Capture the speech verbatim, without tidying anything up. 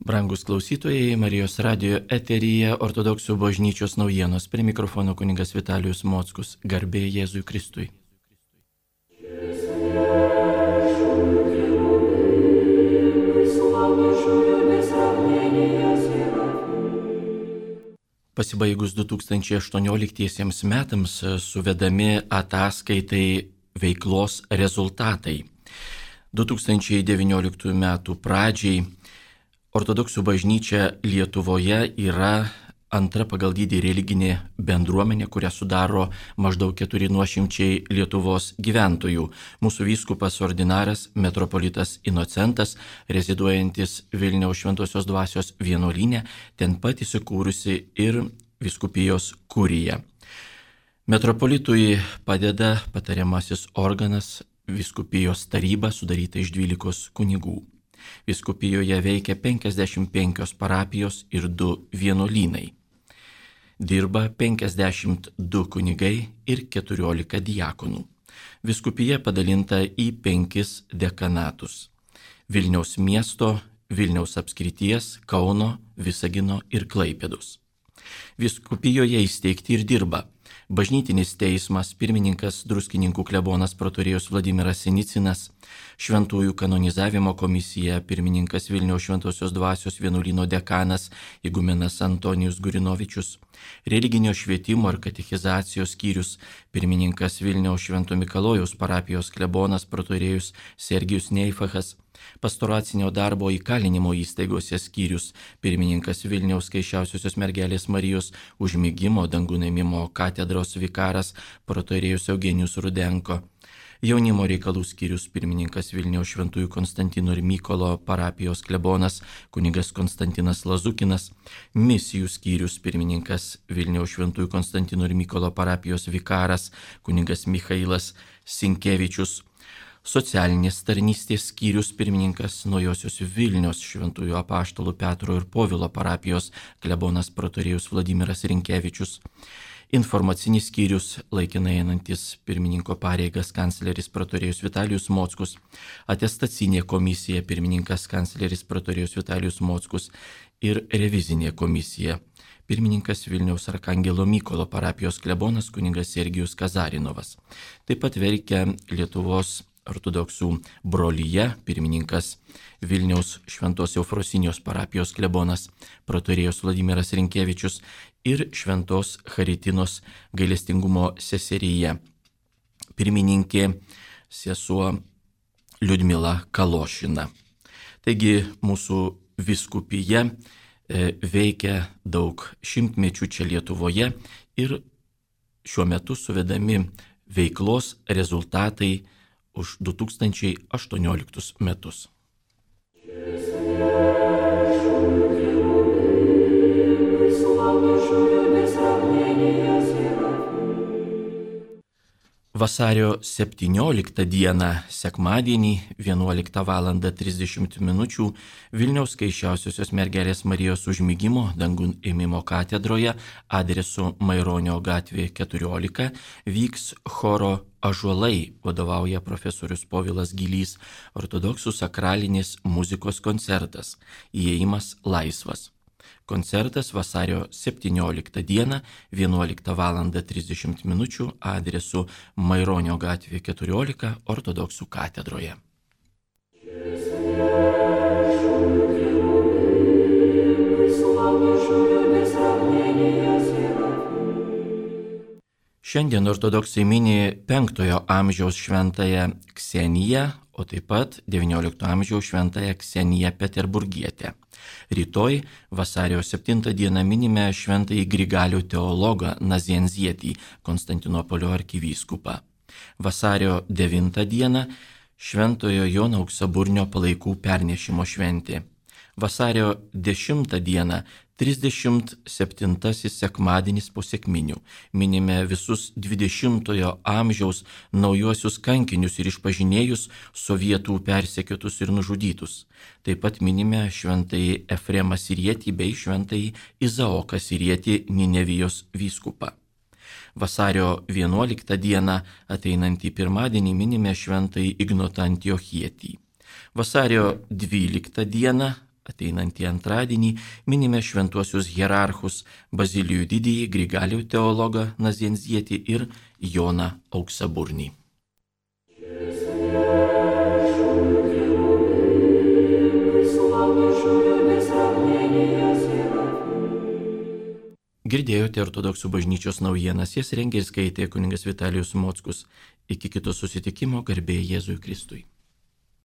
Brangus klausytojai, Marijos radijo eteryje Ortodoksų bažnyčios naujienos. Prie mikrofono kunigas Vitalijus Mockus. Garbė Jėzui Kristui. Pasibaigus du tūkstančiai aštuonioliktiesiems metams suvedami ataskaitai veiklos rezultatai. du tūkstančiai devynioliktųjų metų pradžiai Ortodoksų bažnyčia Lietuvoje yra antra pagal dydį religinė bendruomenė, kurią sudaro maždaug keturi nuošimčiai Lietuvos gyventojų. Mūsų vyskupas ordinaras metropolitas Inocentas, reziduojantis Vilniaus Šventosios Dvasios vienuolyne, ten pat įsikūrusi ir vyskupijos kurija. Metropolitui padeda patariamasis organas vyskupijos taryba, sudaryta iš dvylikos kunigų. Vyskupijoje veikia penkiasdešimt penkios parapijos ir du vienuolynai. Dirba penkiasdešimt du kunigai ir keturiolika diakonų. Vyskupija padalinta į penkis dekanatus: Vilniaus miesto, Vilniaus apskrities, Kauno, Visagino ir Klaipėdos. Vyskupijoje įsteigti ir dirba Bažnytinis teismas, pirmininkas Druskininkų klebonas protorijus Vladimiras Sinicinas, Šventųjų kanonizavimo komisija, pirmininkas Vilniaus Šventosios Dvasios vienuolyno dekanas igumenas Antonijus Gurinovičius, religinio švietimo ir katechizacijos skyrius, pirmininkas Vilniaus Švento Mikalojaus parapijos klebonas protorijus Sergijus Neifachas, pastoracinio darbo įkalinimo įstaigose skyrius, pirmininkas Vilniaus Kaiščiausiosios mergelės Marijos užmigimo dangų ėmimo katedros vikaras protorijus Eugenijus Rudenko, jaunimo reikalų skyrius, pirmininkas Vilniaus Šventųjų Konstantino ir Mykolo parapijos klebonas kunigas Konstantinas Lazukinas, misijų skyrius, pirmininkas Vilniaus Šventųjų Konstantino ir Mykolo parapijos vikaras kunigas Michailas Sinkevičius, socialinės tarnystės skyrius, pirmininkas Naujosios Vilnios Šventųjų apaštalų Petro ir Povilo parapijos klebonas protorijus Vladimiras Rinkevičius, informacinis skyrius, laikinai einantis pirmininko pareigas kancleris protorijus Vitalijus Mockus, atestacinė komisija, pirmininkas kancleris protorijus Vitalijus Mockus ir revizinė komisija, pirmininkas Vilniaus Arkangelo Mykolo parapijos klebonas kunigas Sergijus Kazarinovas. Taip pat veikia Lietuvos ortodoksų brolyje, pirmininkas Vilniaus Šventos Eufrosinijos parapijos klebonas protorijus Vladimiras Rinkevičius ir Šventos Charitinos gailestingumo seseryje, pirmininkė sesuo Liudmila Kalošina. Taigi mūsų vyskupija veikia daug šimtmečių čia Lietuvoje ir šiuo metu suvedami veiklos rezultatai už du tūkstančiai aštuonioliktus metus. Vasario septynioliktą dieną, sekmadienį, vienuoliktą valandą trisdešimt minučių Vilniaus Kaiščiausiosios mergelės Marijos užmigimo dangų ėmimo katedroje adresu Maironio gatvė keturiolika vyks choro Ąžuolai, vadovauja profesorius Povilas Gylys, ortodoksų sakralinės muzikos koncertas, įėjimas laisvas. Koncertas vasario septynioliktą dieną, vienuoliktą valandą trisdešimt minučių adresu Maironio gatvė keturiolika ortodoksų katedroje. Šiandien ortodoksai mini penktojo amžiaus šventąją Kseniją, o taip pat devyniolikto amžiaus šventąją Kseniją Peterburgietę. Rytoj, vasario septintą dieną, minime šventąjį Grigalių teologą Nazianzietį, Konstantinopolio arkivyskupą. Vasario devintą dieną šventojo Jono Auksaburnio palaikų pernešimo šventė. Vasario dešimtą dieną trisdešimt septintasis sekmadienis po sekminių. Minime visus dvidešimtojo amžiaus naujuosius kankinius ir išpažinėjus, sovietų persekiotus ir nužudytus. Taip pat minime šventąjį Efremą Sirietį bei šventąjį Izaoką Sirietį Ninevijos vyskupą. Vasario vienuoliktą dieną, ateinantį pirmadienį, minime šventąjį Ignotą Antiochietį. Vasario dvyliktą dieną, Ateinantį antradienį minime šventuosius hierarchus Bazilijų didįjį, Grigalių teologą Nazienzietį ir Joną Auksaburnį. Girdėjote Ortodoksų bažnyčios naujienas, jas rengė ir skaitė kunigas Vitalijus Mockus. Iki kito susitikimo, garbė Jėzui Kristui.